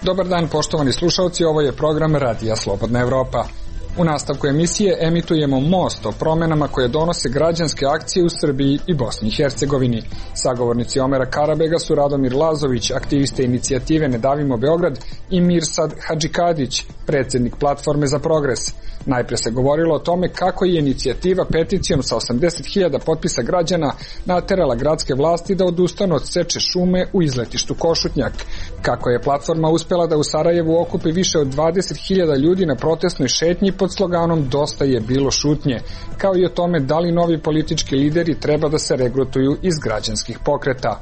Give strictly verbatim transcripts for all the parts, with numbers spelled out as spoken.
Dobar dan, poštovani slušalci, ovo je program Radija Slobodna Evropa. U nastavku emisije emitujemo most o promenama koje donose građanske akcije u Srbiji i Bosni i Hercegovini. Sagovornici Omera Karabega su Radomir Lazović, aktiviste inicijative Ne davimo Beograd, i Mirsad Hadžikadić, predsjednik Platforme za progres. Najpre se govorilo o tome kako je inicijativa peticijom sa osamdeset hiljada potpisa građana naterala gradske vlasti da odustanu od seče šume u izletištu Košutnjak, kako je Platforma uspela da u Sarajevu okupi više od dvadeset hiljada ljudi na protestnoj šetnji pod sloganom Dosta je bilo šutnje, kao i o tome da li novi politički lideri treba da se regrutuju iz građanskih pokreta.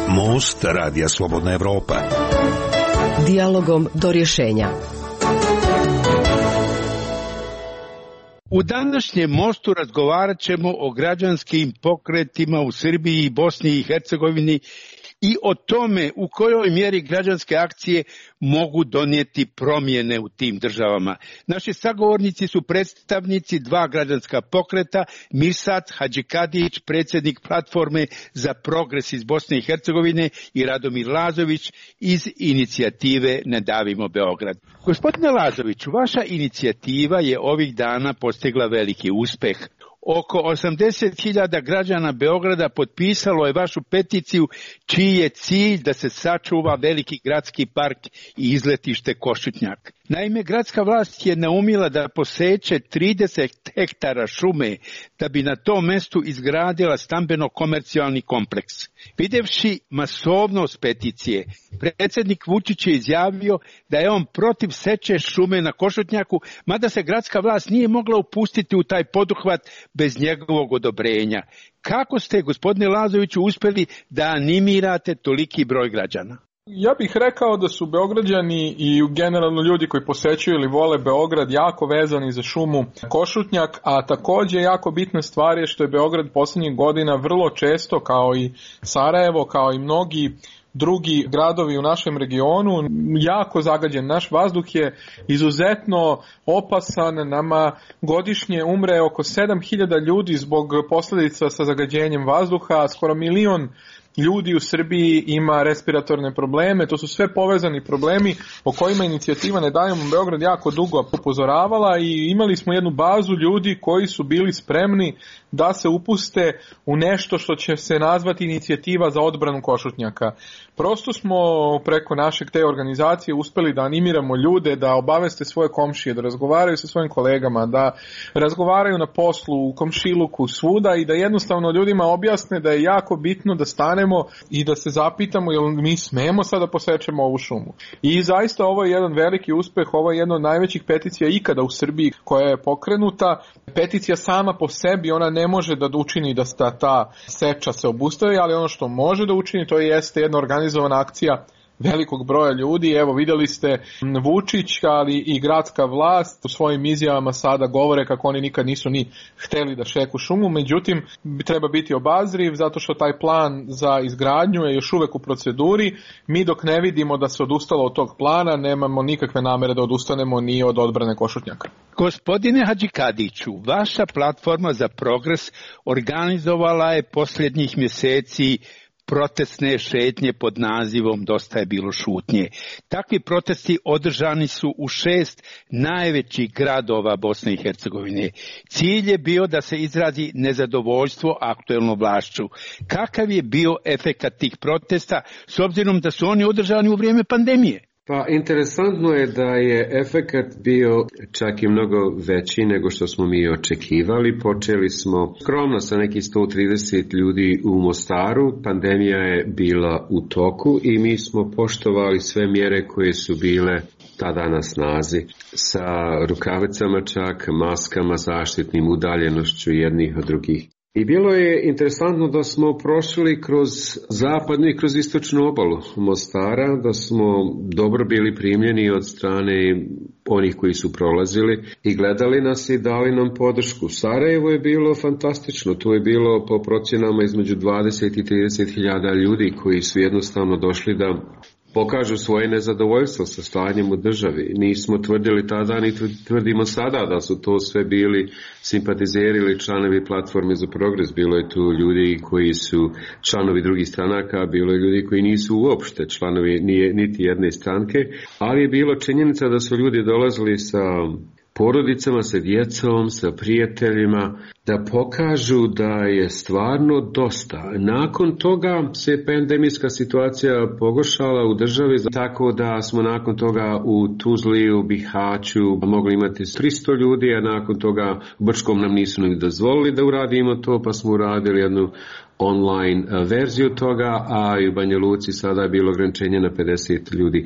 Most Radija Slobodna Evropa. Dijalogom do rješenja. U današnjem mostu razgovarat ćemo o građanskim pokretima u Srbiji i Bosni i Hercegovini i o tome u kojoj mjeri građanske akcije mogu donijeti promjene u tim državama. Naši sagovornici su predstavnici dva građanska pokreta, Mirsad Hadžikadić, predsjednik Platforme za progres iz Bosne i Hercegovine, i Radomir Lazović iz inicijative Ne davimo Beograd. Gospodine Lazoviću, vaša inicijativa je ovih dana postigla veliki uspjeh. Oko osamdeset hiljada građana Beograda potpisalo je vašu peticiju, čiji je cilj da se sačuva veliki gradski park i izletište Košutnjak. Naime, gradska vlast je naumila da poseče trideset hektara šume da bi na tom mjestu izgradila stambeno-komercijalni kompleks. Videvši masovnost peticije, predsjednik Vučić je izjavio da je on protiv seče šume na Košutnjaku, mada se gradska vlast nije mogla upustiti u taj poduhvat bez njegovog odobrenja. Kako ste, gospodine Lazoviću, uspjeli da animirate toliki broj građana? Ja bih rekao da su Beograđani i generalno ljudi koji posećuju ili vole Beograd jako vezani za šumu Košutnjak, a također jako bitna stvar je što je Beograd posljednjih godina vrlo često, kao i Sarajevo, kao i mnogi drugi gradovi u našem regionu, jako zagađen. Naš vazduh je izuzetno opasan, nama godišnje umre oko sedam hiljada ljudi zbog posljedica sa zagađenjem vazduha, skoro milion ljudi u Srbiji ima respiratorne probleme, to su sve povezani problemi o kojima inicijativa Ne davimo Beograd jako dugo upozoravala, i imali smo jednu bazu ljudi koji su bili spremni da se upuste u nešto što će se nazvati inicijativa za odbranu Košutnjaka. Prosto smo preko našeg te organizacije uspeli da animiramo ljude da obaveste svoje komšije, da razgovaraju sa svojim kolegama, da razgovaraju na poslu, u komšiluku, svuda, i da jednostavno ljudima objasne da je jako bitno da stanemo i da se zapitamo jel mi smemo sada posečemo ovu šumu. I zaista ovo je jedan veliki uspeh, ovo je jedna od najvećih peticija ikada u Srbiji koja je pokrenuta. Peticija sama po sebi, ona ne može da učini da ta, ta seča se obustavi, ali ono što može da učini, to jeste jedna organizovana akcija velikog broja ljudi. Evo, vidjeli ste Vučić, ali i gradska vlast u svojim izjavama sada govore kako oni nikad nisu ni hteli da šeku šumu, međutim treba biti obazriv zato što taj plan za izgradnju je još uvek u proceduri. Mi dok ne vidimo da se odustalo od tog plana, nemamo nikakve namere da odustanemo ni od odbrane Košutnjaka. Gospodine Hadžikadiću, vaša Platforma za progres organizovala je posljednjih mjeseci protestne šetnje pod nazivom Dosta je bilo šutnje. Takvi protesti održani su u šest najvećih gradova Bosne i Hercegovine. Cilj je bio da se izrazi nezadovoljstvo aktuelnom vlašću. Kakav je bio efekat tih protesta s obzirom da su oni održani u vrijeme pandemije? Pa interesantno je da je efekat bio čak i mnogo veći nego što smo mi očekivali. Počeli smo skromno sa nekih sto trideset ljudi u Mostaru, pandemija je bila u toku i mi smo poštovali sve mjere koje su bile tada na snazi, sa rukavicama čak, maskama, zaštitnim udaljenošću jednih od drugih. I bilo je interesantno da smo prošli kroz zapadnu i kroz istočnu obalu Mostara, da smo dobro bili primljeni od strane onih koji su prolazili i gledali nas i dali nam podršku. Sarajevo je bilo fantastično, tu je bilo po procjenama između dvadeset i trideset hiljada ljudi koji su jednostavno došli da pokažu svoje nezadovoljstvo sa stanjem u državi. Nismo tvrdili tada, ni tvrdimo sada da su to sve bili simpatizeri ili članovi Platforme za progres. Bilo je tu ljudi koji su članovi drugih stranaka, bilo je ljudi koji nisu uopšte članovi nije, niti jedne stranke, ali je bilo činjenica da su ljudi dolazili sa porodicama, sa djecom, sa prijateljima, da pokažu da je stvarno dosta. Nakon toga se pandemijska situacija pogoršala u državi, tako da smo nakon toga u Tuzli, u Bihaću mogli imati tristo ljudi, a nakon toga u Brčkom nam nisu ni dozvolili da uradimo to, pa smo uradili jednu online verziju toga, a i u Banja Luci sada je bilo ograničenje na pedeset ljudi.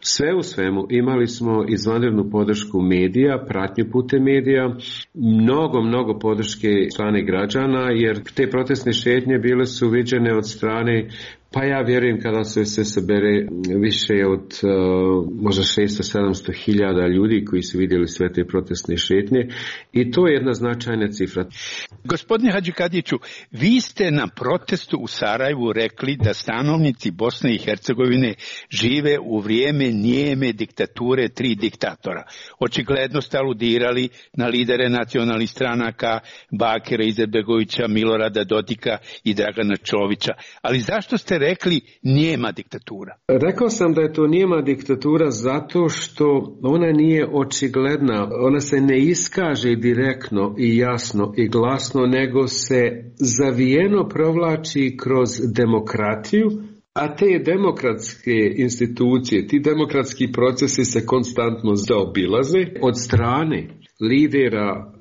Sve u svemu imali smo izvanrednu podršku medija, pratnju putem medija, mnogo, mnogo podrške strane građana, jer te protestne šetnje bile su viđene od strane, pa ja vjerujem kada se se sabere više od uh, možda šesto sedamsto hiljada ljudi koji su vidjeli sve te protestne šetnje, i to je jedna značajna cifra. Gospodine Hadžikadiću, vi ste na protestu u Sarajevu rekli da stanovnici Bosne i Hercegovine žive u vrijeme nijeme diktature tri diktatora. Očigledno ste aludirali na lidere nacionalnih stranaka Bakira Izetbegovića, Milorada Dodika i Dragana Čovića. Ali zašto ste rekli nijema diktatura? Rekao sam da je to nijema diktatura zato što ona nije očigledna, ona se ne iskaže direktno i jasno i glasno, nego se zavijeno provlači kroz demokratiju, a te demokratske institucije, ti demokratski procesi se konstantno zaobilaze od strane lidera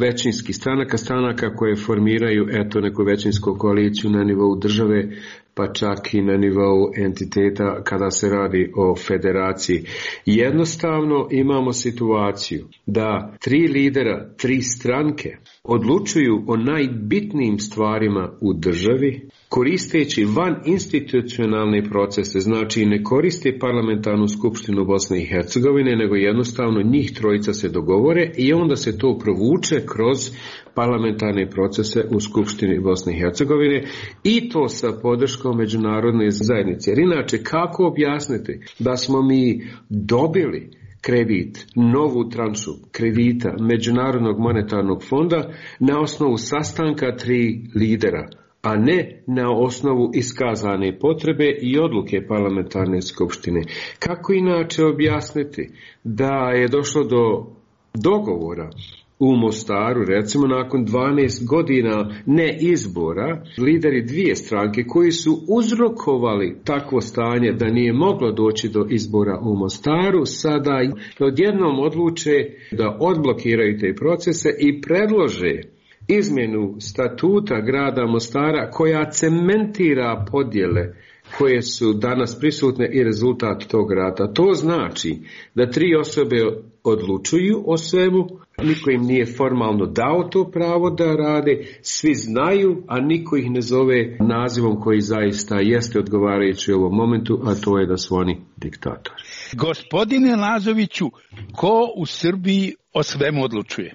većinskih stranaka, stranaka koje formiraju eto neku većinsku koaliciju na nivou države, pa čak i na nivou entiteta kada se radi o federaciji. Jednostavno imamo situaciju da tri lidera, tri stranke odlučuju o najbitnijim stvarima u državi, koristeći van institucionalne procese, znači ne koriste parlamentarnu skupštinu Bosne i Hercegovine, nego jednostavno njih trojica se dogovore i onda se to provuče kroz parlamentarne procese u Skupštini Bosne i Hercegovine, i to sa podrškom međunarodne zajednice. Jer inače, kako objasniti da smo mi dobili kredit, novu tranšu kredita Međunarodnog monetarnog fonda na osnovu sastanka tri lidera, a ne na osnovu iskazane potrebe i odluke parlamentarne skupštine? Kako inače objasniti da je došlo do dogovora u Mostaru, recimo nakon dvanaest godina ne izbora, lideri dvije stranke koji su uzrokovali takvo stanje da nije moglo doći do izbora u Mostaru, sada odjednom odluče da odblokiraju te procese i predlože izmjenu statuta grada Mostara koja cementira podjele koje su danas prisutne i rezultat tog rata. To znači da tri osobe odlučuju o svemu, niko im nije formalno dao to pravo da rade, svi znaju, a niko ih ne zove nazivom koji zaista jeste odgovarajući u ovom momentu, a to je da su oni diktatori. Gospodine Lazoviću, ko u Srbiji o svemu odlučuje?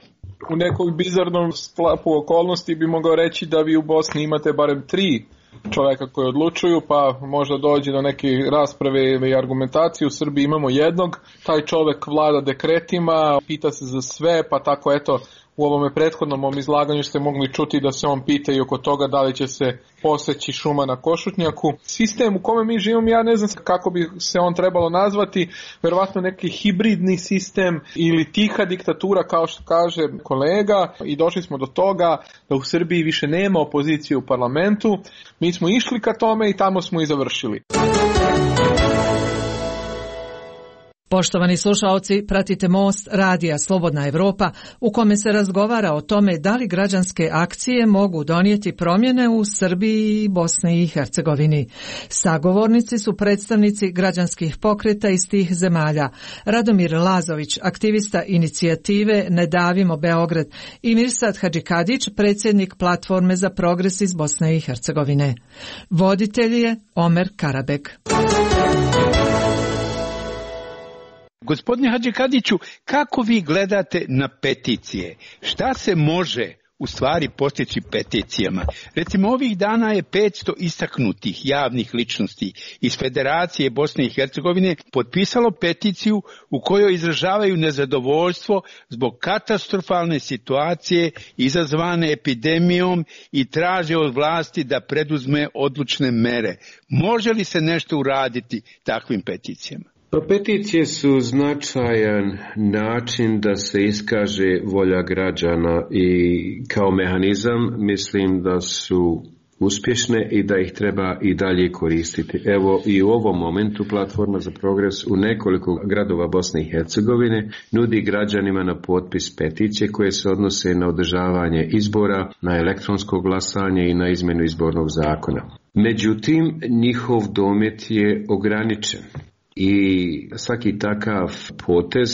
U nekog bizarnom sklapu okolnosti bi mogao reći da vi u Bosni imate barem tri čovjeka koji odlučuju, pa možda dođe do neke rasprave i argumentacije. U Srbiji imamo jednog, taj čovjek vlada dekretima, pita se za sve, pa tako eto u ovome prethodnom mom izlaganju ste mogli čuti da se on pita i oko toga da li će se poseći šuma na Košutnjaku. Sistem u kome mi živimo, ja ne znam kako bi se on trebalo nazvati, verovatno neki hibridni sistem ili tiha diktatura kao što kaže kolega, i došli smo do toga da u Srbiji više nema opozicije u parlamentu. Mi smo išli ka tome i tamo smo i završili. Poštovani slušaoci, pratite Most radija Slobodna Evropa u kome se razgovara o tome da li građanske akcije mogu donijeti promjene u Srbiji i Bosni i Hercegovini. Sagovornici su predstavnici građanskih pokreta iz tih zemalja: Radomir Lazović, aktivista inicijative Ne davimo Beograd, i Mirsad Hadžikadić, predsjednik Platforme za progres iz Bosne i Hercegovine. Voditelj je Omer Karabek. Gospodine Hadžikadiću, kako vi gledate na peticije? Šta se može u stvari postići peticijama. Recimo, ovih dana je petsto istaknutih javnih ličnosti iz Federacije Bosne i Hercegovine potpisalo peticiju u kojoj izražavaju nezadovoljstvo zbog katastrofalne situacije izazvane epidemijom i traže od vlasti da preduzme odlučne mere. Može li se nešto uraditi takvim peticijama? Pa peticije su značajan način da se iskaže volja građana i kao mehanizam mislim da su uspješne i da ih treba i dalje koristiti. Evo i u ovom momentu Platforma za progres u nekoliko gradova Bosne i Hercegovine nudi građanima na potpis peticije koje se odnose na održavanje izbora, na elektronsko glasanje i na izmjenu izbornog zakona. Međutim, njihov domet je ograničen. I svaki takav potez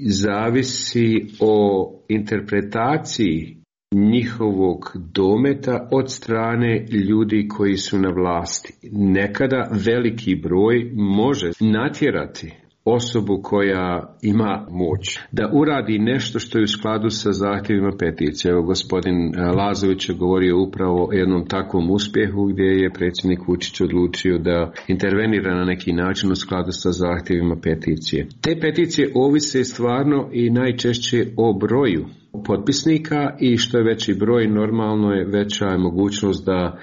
zavisi o interpretaciji njihovog dometa od strane ljudi koji su na vlasti. Nekada veliki broj može natjerati osobu koja ima moć da uradi nešto što je u skladu sa zahtjevima peticije. Evo, gospodin Lazović je govorio upravo o jednom takvom uspjehu gdje je predsjednik Vučić odlučio da intervenira na neki način u skladu sa zahtjevima peticije. Te peticije ovise stvarno i najčešće o broju potpisnika i što je veći broj, normalno je veća je mogućnost da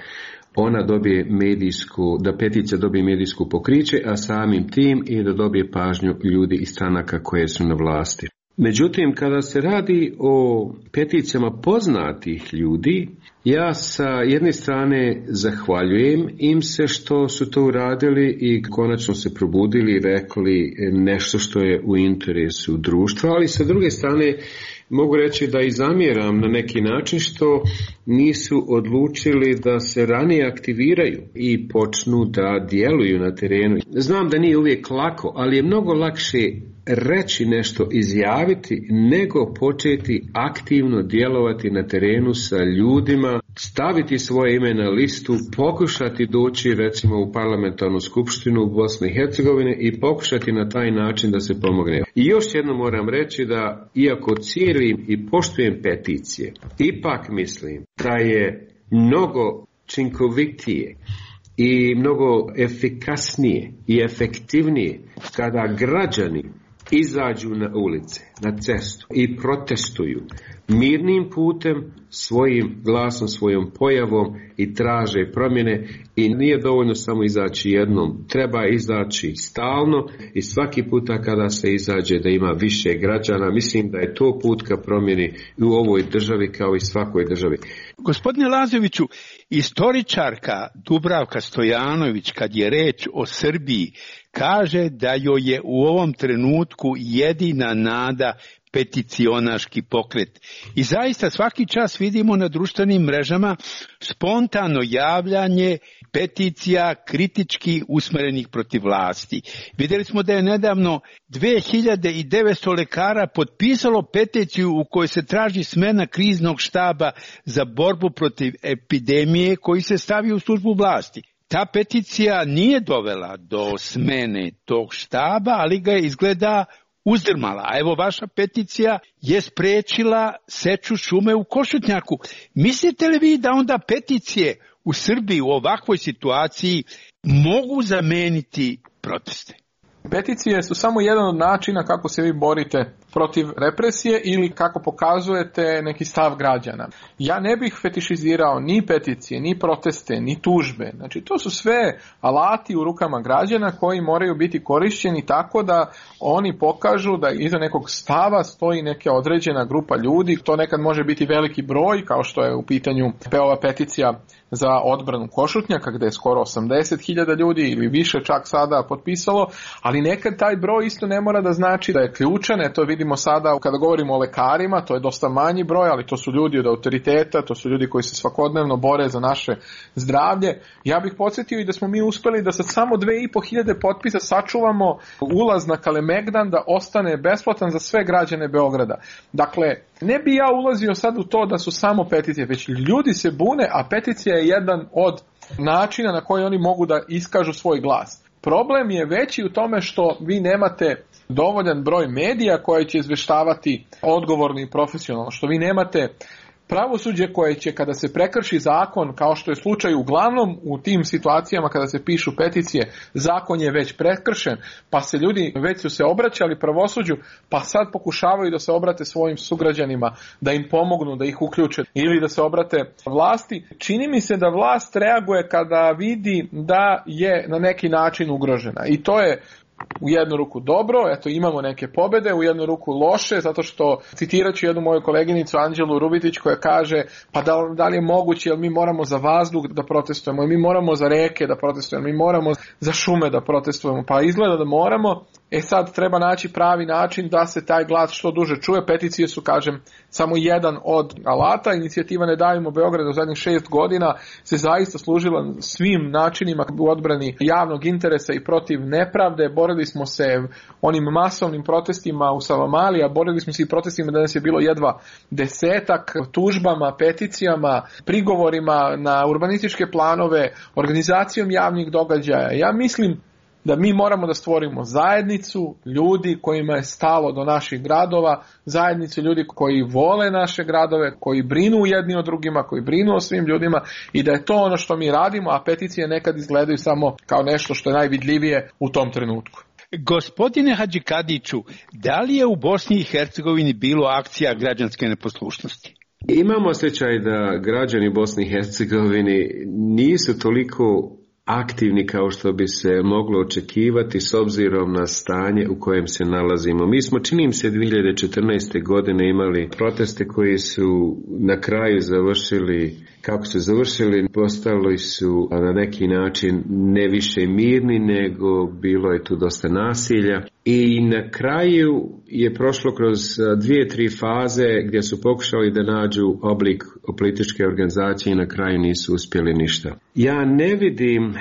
ona dobije medijsku, da peticija dobije medijsku pokriće, a samim tim i da dobije pažnju ljudi i stranaka koje su na vlasti. Međutim, kada se radi o peticijama poznatih ljudi, ja sa jedne strane zahvaljujem im se što su to uradili i konačno se probudili i rekli nešto što je u interesu društva, ali sa druge strane mogu reći da i zamjeram na neki način što nisu odlučili da se ranije aktiviraju i počnu da djeluju na terenu. Znam da nije uvijek lako, ali je mnogo lakše reći nešto, izjaviti, nego početi aktivno djelovati na terenu sa ljudima, staviti svoje ime na listu, pokušati doći recimo u parlamentarnu skupštinu u Bosni i Hercegovine i pokušati na taj način da se pomogne. I još jedno moram reći da iako cijelim i poštujem peticije, ipak mislim da je mnogo učinkovitije i mnogo efikasnije i efektivnije kada građani izađu na ulice, na cestu i protestuju mirnim putem, svojim glasom, svojom pojavom i traže promjene i nije dovoljno samo izaći jednom, treba izaći stalno i svaki puta kada se izađe da ima više građana. Mislim da je to put ka promjeni u ovoj državi kao i svakoj državi. Gospodine Lazoviću, istoričarka Dubravka Stojanović kad je reč o Srbiji kaže da joj je u ovom trenutku jedina nada peticionaški pokret. I zaista svaki čas vidimo na društvenim mrežama spontano javljanje peticija kritički usmjerenih protiv vlasti. Vidjeli smo da je nedavno dve hiljade devetsto lekara potpisalo peticiju u kojoj se traži smjena kriznog štaba za borbu protiv epidemije koji se stavi u službu vlasti. Ta peticija nije dovela do smene tog štaba, ali ga je izgleda uzdrmala. A evo vaša peticija je spriječila seču šume u Košutnjaku. Mislite li vi da onda peticije u Srbiji u ovakvoj situaciji mogu zameniti proteste? Peticije su samo jedan od načina kako se vi borite protiv represije ili kako pokazujete neki stav građana. Ja ne bih fetišizirao ni peticije, ni proteste, ni tužbe. Znači, to su sve alati u rukama građana koji moraju biti korišćeni tako da oni pokažu da iza nekog stava stoji neka određena grupa ljudi. To nekad može biti veliki broj, kao što je u pitanju ova peticija za odbranu Košutnjaka, gdje je skoro osamdeset hiljada ljudi ili više čak sada potpisalo, ali nekad taj broj isto ne mora da znači da je ključan. E, to vidimo sada kada govorimo o lekarima, to je dosta manji broj, ali to su ljudi od autoriteta, to su ljudi koji se svakodnevno bore za naše zdravlje. Ja bih podsjetio i da smo mi uspjeli da sa samo dve i po hiljade potpisa sačuvamo ulaz na Kalemegdan da ostane besplatan za sve građane Beograda. Dakle, ne bi ja ulazio sad u to da su samo peticije, već ljudi se bune, a peticija je jedan od načina na koji oni mogu da iskažu svoj glas. Problem je veći u tome što vi nemate dovoljan broj medija koji će izveštavati odgovorno i profesionalno, što vi nemate pravosuđe koje će, kada se prekrši zakon, kao što je slučaj uglavnom u tim situacijama kada se pišu peticije, zakon je već prekršen, pa se ljudi već su se obraćali pravosuđu, pa sad pokušavaju da se obrate svojim sugrađanima, da im pomognu, da ih uključe ili da se obrate vlasti. Čini mi se da vlast reaguje kada vidi da je na neki način ugrožena i to je u jednu ruku dobro, eto imamo neke pobede, u jednu ruku loše, zato što citirat ću jednu moju koleginicu Anđelu Rubitić koja kaže pa da, da li je moguće, jer mi moramo za vazduh da protestujemo, mi moramo za reke da protestujemo, mi moramo za šume da protestujemo, pa izgleda da moramo. E sad treba naći pravi način da se taj glas što duže čuje. Peticije su, kažem, samo jedan od alata. Inicijativa Ne davimo Beograd u zadnjih šest godina se zaista služila svim načinima u odbrani javnog interesa i protiv nepravde. Borili smo se onim masovnim protestima u Savamali, a borili smo se i protestima da nas je bilo jedva desetak, tužbama, peticijama, prigovorima na urbanističke planove, organizacijom javnih događaja. Ja mislim da mi moramo da stvorimo zajednicu ljudi kojima je stalo do naših gradova, zajednicu ljudi koji vole naše gradove, koji brinu jedni o drugima, koji brinu o svim ljudima i da je to ono što mi radimo, a peticije nekad izgledaju samo kao nešto što je najvidljivije u tom trenutku. Gospodine Hadžikadiću, da li je u Bosni i Hercegovini bilo akcija građanske neposlušnosti? Imamo osjećaj da građani Bosne i Hercegovine nisu toliko aktivni kao što bi se moglo očekivati s obzirom na stanje u kojem se nalazimo. Mi smo, čini mi se, dvije hiljade četrnaeste. godine imali proteste koji su na kraju završili, kako su završili, postali su na neki način ne više mirni, nego bilo je tu dosta nasilja. I na kraju je prošlo kroz dvije, tri faze gdje su pokušali da nađu oblik političke organizacije i na kraju nisu uspjeli ništa. Ja ne vidim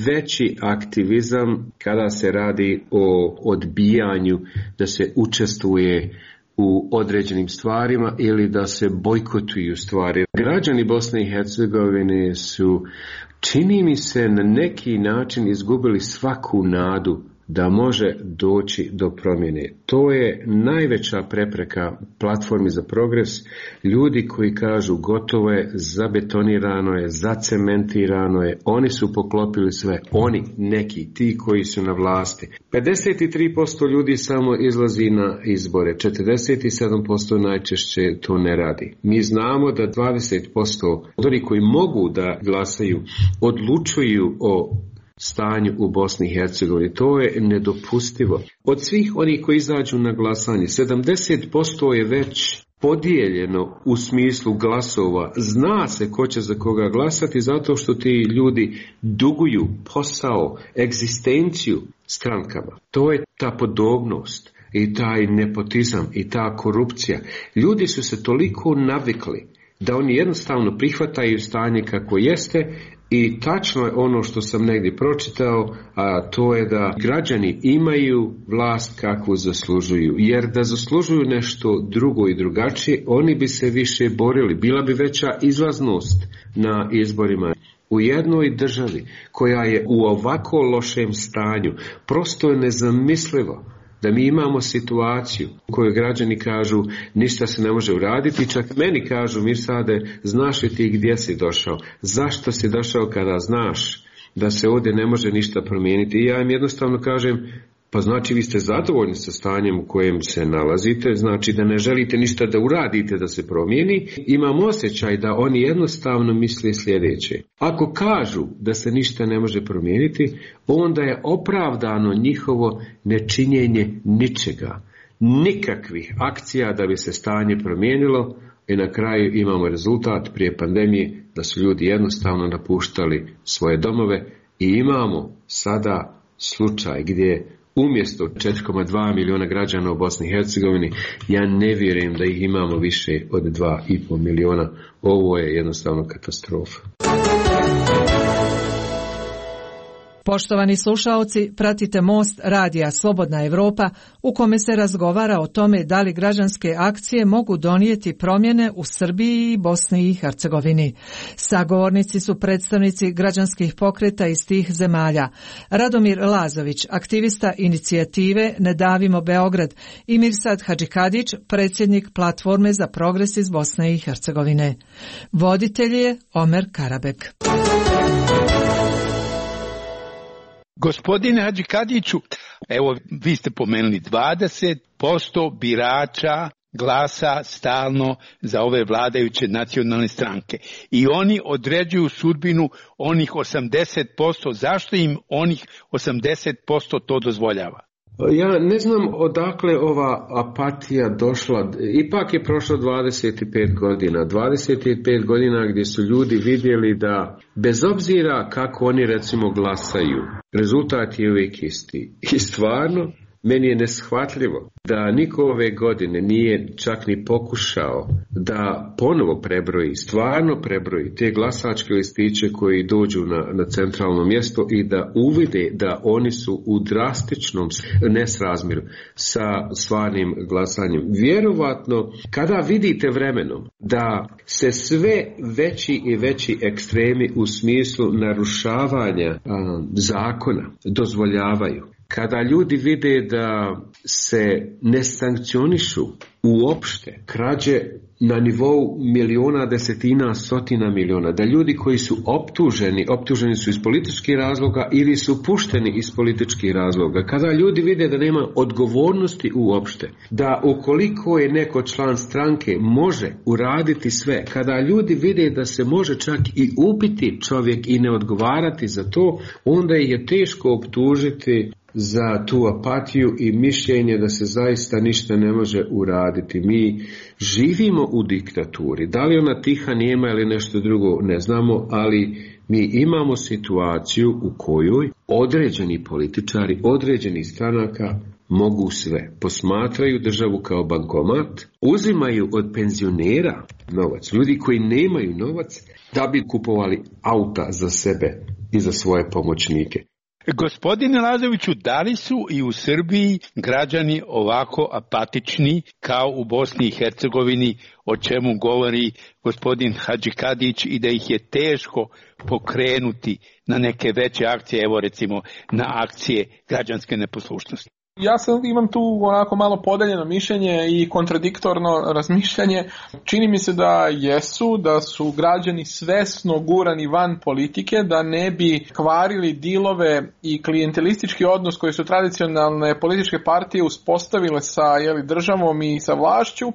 veći aktivizam kada se radi o odbijanju da se učestvuje u određenim stvarima ili da se bojkotuju stvari. Građani Bosne i Hercegovine su, čini mi se, na neki način izgubili svaku nadu da može doći do promjene. To je najveća prepreka platformi za progres. Ljudi koji kažu gotovo je, zabetonirano je, zacementirano je, oni su poklopili sve, oni, neki, ti koji su na vlasti. pedeset tri posto ljudi samo izlazi na izbore, četrdeset sedam posto najčešće to ne radi. Mi znamo da dvadeset posto ljudi koji mogu da glasaju odlučuju o stanju u Bosni i Hercegovini. To je nedopustivo. Od svih onih koji izađu na glasanje, sedamdeset posto je već podijeljeno u smislu glasova. Zna se ko će za koga glasati zato što ti ljudi duguju posao, egzistenciju strankama. To je ta podobnost i taj nepotizam i ta korupcija. Ljudi su se toliko navikli da oni jednostavno prihvataju stanje kako jeste. I tačno je ono što sam negdje pročitao, a to je da građani imaju vlast kakvu zaslužuju. Jer da zaslužuju nešto drugo i drugačije, oni bi se više borili. Bila bi veća izlaznost na izborima. U jednoj državi koja je u ovako lošem stanju, prosto je nezamislivo da mi imamo situaciju u kojoj građani kažu ništa se ne može uraditi, čak meni kažu Mirsade, znaš li ti gdje si došao, zašto si došao kada znaš da se ovdje ne može ništa promijeniti. I ja im jednostavno kažem, pa znači vi ste zadovoljni sa stanjem u kojem se nalazite, znači da ne želite ništa da uradite da se promijeni. Imam osjećaj da oni jednostavno misle sljedeće. Ako kažu da se ništa ne može promijeniti, onda je opravdano njihovo nečinjenje ničega. Nikakvih akcija da bi se stanje promijenilo i na kraju imamo rezultat prije pandemije da su ljudi jednostavno napuštali svoje domove i imamo sada slučaj gdje umjesto četiri zarez dva milijuna građana u Bosni i Hercegovini, ja ne vjerujem da ih imamo više od dva i pol milijuna. Ovo je jednostavno katastrofa. Poštovani slušaoci, pratite Most radija Slobodna Evropa u kome se razgovara o tome da li građanske akcije mogu donijeti promjene u Srbiji i Bosni i Hercegovini. Sagovornici su predstavnici građanskih pokreta iz tih zemalja. Radomir Lazović, aktivista inicijative Ne davimo Beograd, i Mirsad Hadžikadić, predsjednik Platforme za progres iz Bosne i Hercegovine. Voditelj je Omer Karabek. Gospodine Hadžikadiću, evo vi ste pomenuli dvadeset posto birača glasa stalno za ove vladajuće nacionalne stranke i oni određuju sudbinu onih osamdeset posto. Zašto im onih osamdeset posto to dozvoljava? Ja ne znam odakle ova apatija došla. Ipak je prošlo dvadeset pet godina. dvadeset pet godina gdje su ljudi vidjeli da bez obzira kako oni recimo glasaju, rezultat je uvijek isti. I stvarno, meni je neshvatljivo da niko ove godine nije čak ni pokušao da ponovo prebroji, stvarno prebroji te glasačke listiće koji dođu na, na centralno mjesto i da uvide da oni su u drastičnom nesrazmjeru sa stvarnim glasanjem. Vjerovatno, kada vidite vremenom da se sve veći i veći ekstremi u smislu narušavanja a, zakona dozvoljavaju, kada ljudi vide da se ne sankcionišu uopšte krađe na nivou miliona, desetina, stotina miliona, da ljudi koji su optuženi, optuženi su iz političkih razloga ili su pušteni iz političkih razloga, kada ljudi vide da nema odgovornosti uopšte, da ukoliko je neko član stranke može uraditi sve, kada ljudi vide da se može čak i ubiti čovjek i ne odgovarati za to, onda je teško optužiti za tu apatiju i mišljenje da se zaista ništa ne može uraditi. Mi živimo u diktaturi. Da li ona tiha, nijema ili nešto drugo, ne znamo, ali mi imamo situaciju u kojoj određeni političari, određeni stranaka mogu sve. Posmatraju državu kao bankomat, uzimaju od penzionera novac, ljudi koji nemaju novac, da bi kupovali auta za sebe i za svoje pomoćnike. Gospodine Lazoviću, da li su i u Srbiji građani ovako apatični kao u Bosni i Hercegovini, o čemu govori gospodin Hadžikadić, i da ih je teško pokrenuti na neke veće akcije, evo recimo na akcije građanske neposlušnosti? Ja sam imam tu onako malo podeljeno mišljenje i kontradiktorno razmišljanje. Čini mi se da jesu, da su građani svesno gurani van politike, da ne bi kvarili dilove i klijentelistički odnos koji su tradicionalne političke partije uspostavile sa jeli, državom i sa vlašću.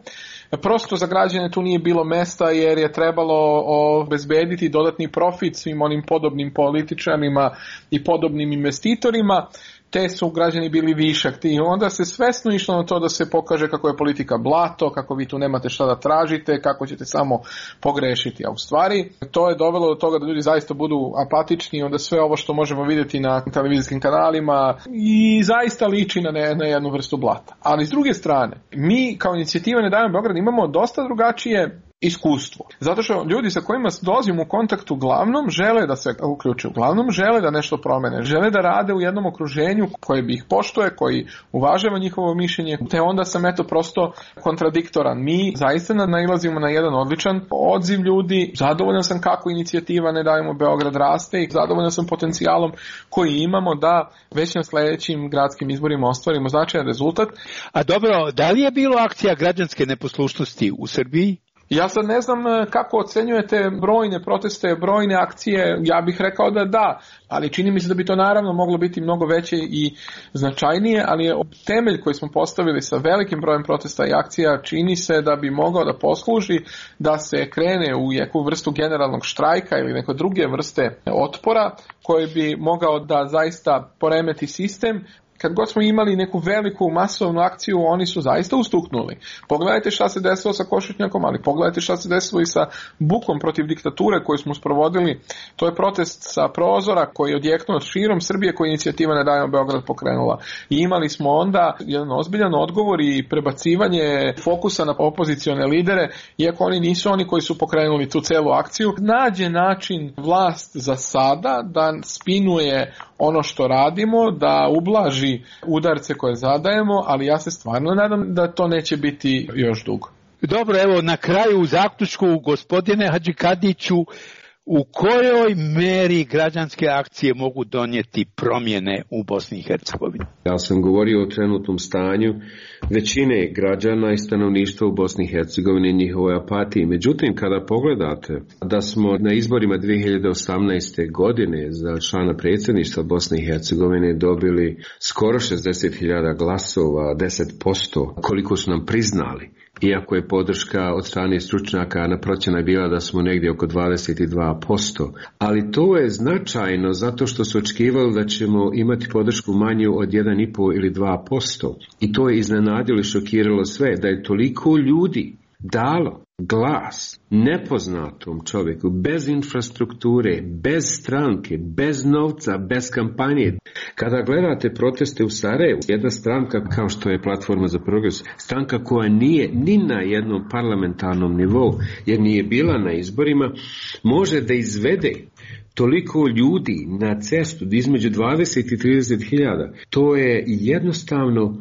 Prosto za građane tu nije bilo mesta jer je trebalo obezbediti dodatni profit svim onim podobnim političarima i podobnim investitorima. Te su građani bili višak. I onda se svesno išlo na to da se pokaže kako je politika blato, kako vi tu nemate šta da tražite, kako ćete samo pogrešiti. A u stvari to je dovelo do toga da ljudi zaista budu apatični, onda sve ovo što možemo vidjeti na televizijskim kanalima i zaista liči na, ne, na jednu vrstu blata. Ali s druge strane, mi kao inicijativa Ne davimo Beograd imamo dosta drugačije iskustvo. Zato što ljudi sa kojima dolazimo u kontakt uglavnom žele da se uključe, uglavnom žele da nešto promene, žele da rade u jednom okruženju koje bi ih poštuje, koji uvažava njihovo mišljenje, te onda sam eto prosto kontradiktoran. Mi zaista nailazimo na jedan odličan odziv ljudi, zadovoljan sam kako inicijativa Ne davimo Beograd raste i zadovoljan sam potencijalom koji imamo da već na sljedećim gradskim izborima ostvarimo značajan rezultat. A dobro, da li je bilo akcija građanske neposlušnosti u Srbiji? Ja sad ne znam kako ocenjujete brojne proteste, brojne akcije, ja bih rekao da da, ali čini mi se da bi to naravno moglo biti mnogo veće i značajnije, ali je temelj koji smo postavili sa velikim brojem protesta i akcija čini se da bi mogao da posluži da se krene u neku vrstu generalnog štrajka ili neke druge vrste otpora koji bi mogao da zaista poremeti sistem kad god smo imali neku veliku masovnu akciju, oni su zaista ustuknuli. Pogledajte šta se desilo sa Košutnjakom, ali pogledajte šta se desilo i sa bukom protiv diktature koju smo sprovodili. To je protest sa prozora koji je odjeknuo širom Srbije, koju inicijativa Ne davimo Beograd pokrenula. I imali smo onda jedan ozbiljan odgovor i prebacivanje fokusa na opozicione lidere, iako oni nisu oni koji su pokrenuli tu celu akciju. Nađe način vlast za sada da spinuje ono što radimo, da ublaži udarce koje zadajemo, ali ja se stvarno nadam da to neće biti još dugo. Dobro, evo na kraju u zaključku, gospodine Hadžikadiću, u kojoj meri građanske akcije mogu donijeti promjene u Bosni i Hercegovini? Ja sam govorio o trenutnom stanju većine građana i stanovništva u Bosni i Hercegovini i njihovoj apatiji. Međutim, kada pogledate da smo na izborima dvije hiljade osamnaeste. godine za člana predsjedništva Bosne i Hercegovine dobili skoro šezdeset hiljada glasova, deset posto, koliko su nam priznali. Iako je podrška od strane stručnjaka na procjena bila da smo negdje oko dvadeset dva posto. Ali to je značajno zato što su očekivali da ćemo imati podršku manju od jedan i pol ili dva posto. I to je iznenadilo i šokiralo sve, da je toliko ljudi dalo glas nepoznatom čovjeku, bez infrastrukture, bez stranke, bez novca, bez kampanje. Kada gledate proteste u Sarajevu, jedna stranka kao što je Platforma za progres, stranka koja nije ni na jednom parlamentarnom nivou, jer nije bila na izborima, može da izvede toliko ljudi na cestu između dvadeset i trideset hiljada. To je jednostavno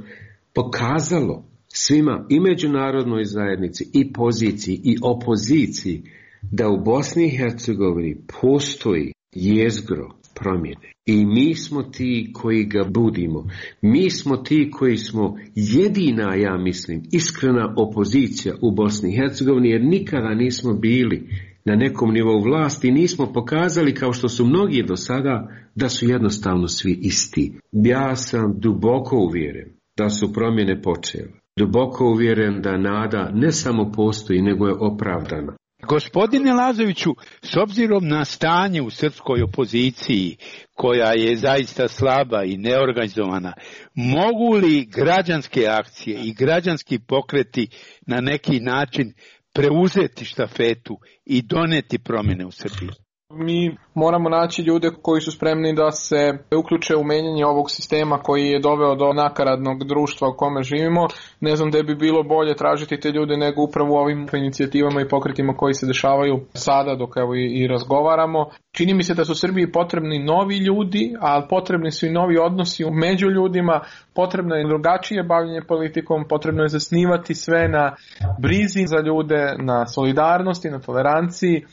pokazalo svima, i međunarodnoj zajednici, i poziciji, i opoziciji, da u Bosni i Hercegovini postoji jezgro promjene. I mi smo ti koji ga budimo. Mi smo ti koji smo jedina, ja mislim, iskrena opozicija u Bosni i Hercegovini, jer nikada nismo bili na nekom nivou vlasti, nismo pokazali, kao što su mnogi do sada, da su jednostavno svi isti. Ja sam duboko uvjeren da su promjene počele. Duboko uvjeren da nada ne samo postoji, nego je opravdana. Gospodine Lazoviću, s obzirom na stanje u srpskoj opoziciji, koja je zaista slaba i neorganizovana, mogu li građanske akcije i građanski pokreti na neki način preuzeti štafetu i doneti promjene u Srbiji? Mi moramo naći ljude koji su spremni da se uključe u menjanje ovog sistema koji je doveo do nakaradnog društva u kome živimo. Ne znam da bi bilo bolje tražiti te ljude nego upravo u ovim inicijativama i pokretima koji se dešavaju sada dok evo i, i razgovaramo. Čini mi se da su Srbiji potrebni novi ljudi, ali potrebni su i novi odnosi među ljudima, potrebno je drugačije bavljenje politikom, potrebno je zasnivati sve na brizi za ljude, na solidarnosti, na toleranciji.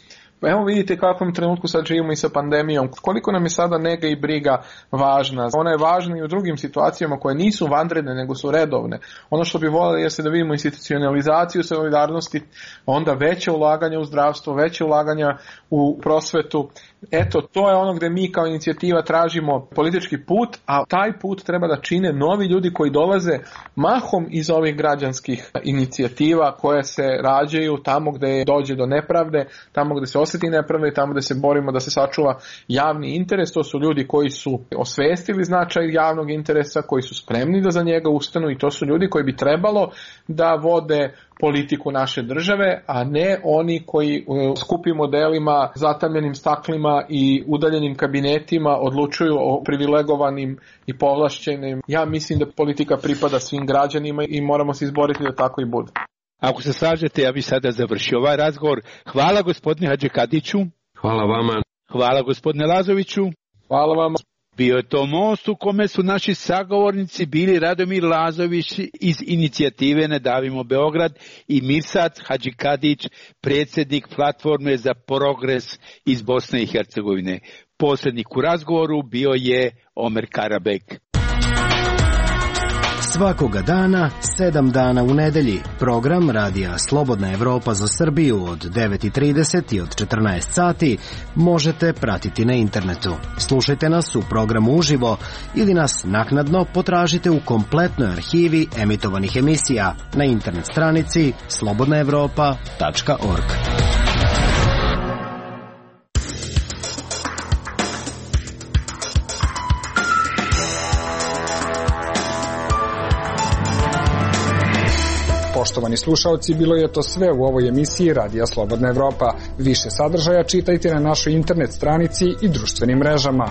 Evo vidite kakvom trenutku sad živimo i sa pandemijom. Koliko nam je sada nega i briga važna. Ona je važna i u drugim situacijama koje nisu vanredne nego su redovne. Ono što bi voljeli je se da vidimo institucionalizaciju solidarnosti, onda veće ulaganja u zdravstvo, veće ulaganja u prosvetu. Eto, to je ono gdje mi kao inicijativa tražimo politički put, a taj put treba da čine novi ljudi koji dolaze mahom iz ovih građanskih inicijativa koje se rađaju tamo gdje dođe do nepravde, tamo gdje se osjeti nepravda i tamo gdje se borimo da se sačuva javni interes. To su ljudi koji su osvestili značaj javnog interesa, koji su spremni da za njega ustanu i to su ljudi koji bi trebalo da vode politiku naše države, a ne oni koji u skupim modelima, zatamljenim staklima i udaljenim kabinetima odlučuju o privilegovanim i povlašćenim. Ja mislim da politika pripada svim građanima i moramo se izboriti da tako i bude. Ako se slažete, ja bih sada završio ovaj razgovor. Hvala gospodine Hadžikadiću. Hvala vama. Hvala gospodine Lazoviću. Hvala vama. Bio je to most u kome su naši sagovornici bili Radomir Lazović iz inicijative Ne davimo Beograd i Mirsad Hadžikadić, predsjednik Platforme za progres iz Bosne i Hercegovine. Posrednik u razgovoru bio je Omer Karabek. Svakoga dana, sedam dana u nedelji, program Radija Slobodna Evropa za Srbiju od devet i trideset i od četrnaest sati možete pratiti na internetu. Slušajte nas u programu uživo ili nas naknadno potražite u kompletnoj arhivi emitovanih emisija na internet stranici slobodna evropa tačka org. Poštovani slušaoci, bilo je to sve u ovoj emisiji Radija Slobodna Evropa. Više sadržaja čitajte na našoj internet stranici i društvenim mrežama.